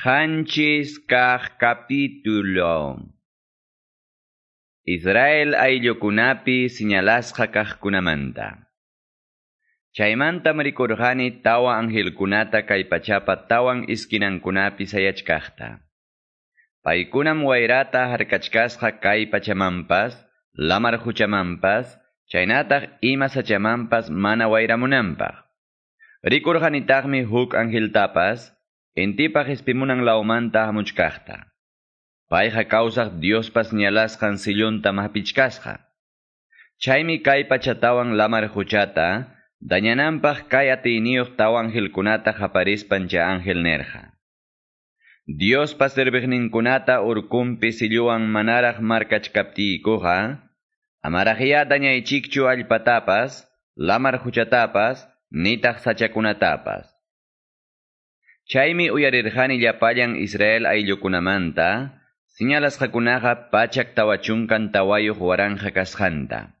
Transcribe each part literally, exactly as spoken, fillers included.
Qanchis kaq capítulo. Israel ayllukunapi señalasqa kaqkunamanta. Chaymantam rikurqani tawa angelkunata kay pachapa tawan iskinankunapi sayachkaqta. Paykunam wayrata harkachkasqa kay pachamanpas, lamar huchamanpas, chaynataq ima sachamanpas mana wayramunanpaq. Rikurqanitaqmi huk angeltapas, intipa qispimunan lawmanta hamuchkaqta. Payqa kawsaq Diospa señalasqan silluntam hapichkasqa. Chaymi kay pachatawan lamar huchata, dañananpaq kay atiyniyuq tawa angelkunata qaparispan chay ángel nerqa. Diospa serviqninkunata urkunpi silluwan manaraq markachkaptiykuqa, amaraqyá dañaychikchu allpatapas, lamar huchatapas, nitaq sachakunatapas. Chaymi uyarirqani llapallan Israel ayllukunamanta, señalasqakunaqa pachak tawa chunkan tawayuq waranqa kasqanta.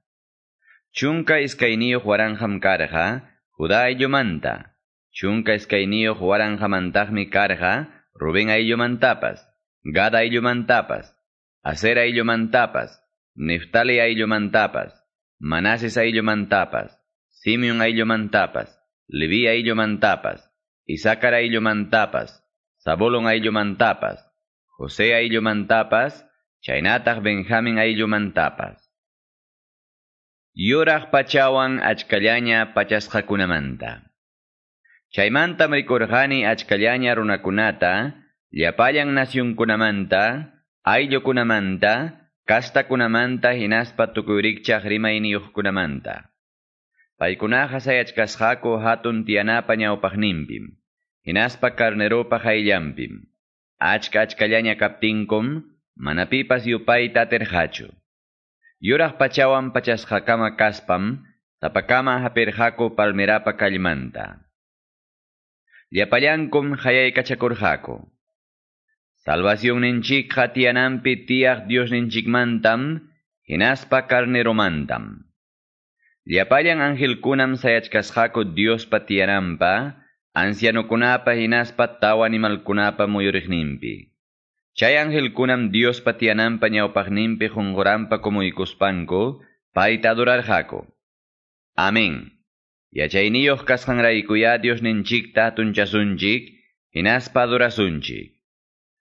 Chunka iskayniyuq waranqam karqa Judá ayllumanta, chunka iskayniyuq waranqamantaqmi karqa Rubén ayllumantapas, Gad ayllumantapas, Aser ayllumantapas, Neftali ayllumantapas, Manases ayllumantapas, Simeón ayllumantapas, Leví ayllumantapas, Isaacar ayllumantapas, Zabulón ayllumantapas, José ayllumantapas, chaynataq Benjamín ayllumantapas. Yuraq pachawan achkallaña pachasqakunamanta. Chaymantam rikurqani achkallaña runakunata, llapallan nacionkunamanta, ayllukunamanta, kastakunamanta hinaspa tukuy rikchaq rimayniyuqkunamanta. Paykunaqa sayachkasqaku hatun tiyanapa ñawpaqninpim, hinaspa carneropa qayllanpim. Achka achkallaña kaptinkum, mana pipas yupayta atirqachu. Yuraq pachawan pachasqakama kaspam, sapakama hapirqaku palmerapa kallmanta. Llapallankum qayaykachakurqaku. Salvacionninchikqa tiyananpi tiyaq Diosninchikmantam, hinaspa carneromantam. Llapallan angelkunam sayachkasqaku Diospa tiyananpa, ancianokunapa hinaspa tawa animalkunapa muyuriqninpi. Chay angelkunam Diospa tiyananpa ñawpaqninpi qunquranpa kumuykuspanku, payta adorarqaku. Amén. Yachayniyuq kasqanraykuyá Diosninchikta hatunchasunchik, hinaspa adorasunchik.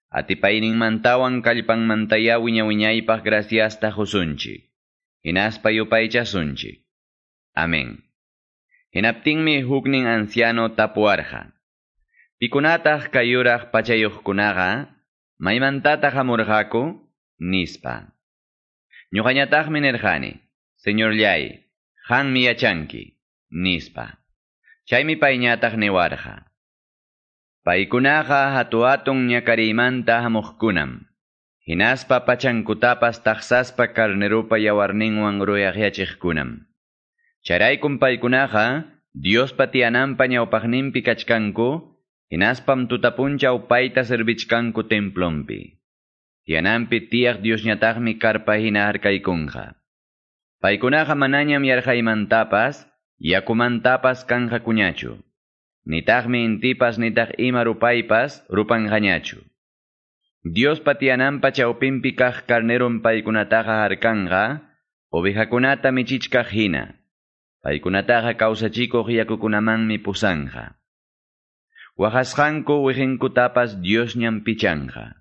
Atipayninmantawan kallpanmantayá wiña-wiñaypaq graciasta qusunchik, hinaspa yupaychasunchik. Amén. Hinaptinmi huknin anciano tapuwarqa. Pikunataq kay yuraq pachayuqkunaqa, maymantataq hamurqaku, nispa. Ñuqañataqmi nirqani, Señorllay, qanmi yachanki, nispa. Chaymi payñataq niwarqa. Paykunaqa hatu-hatun ñakariymanta hamuqkunam. Hinaspa pachankutapas taqsaspa carneropa yawarninwan ruyaqyachiqkunam. Chayraykum paykunaqa Diospa tiyananpa ñawpaqninpi kachkanku, hinaspam tutapunchaw payta servichkanku templonpi. Tiyananpi tiyaq Diosñataqmi karpa hina harkaykunqa. Paykunaqa manañam yarqaymantapas, yakumantapas kanqakuñachu. Nitaqmi intipas nitaq ima rupaypas rupanqañachu. Diospa tiyananpa chawpinpi kaq carnerom paykunataqa harkanqa, ovejakunata michichkaq hina. Paykunataqa kawsachikuq yakukunamanmi pusanqa. Waqasqanku wiqinkutapas Diosñam pichanqa.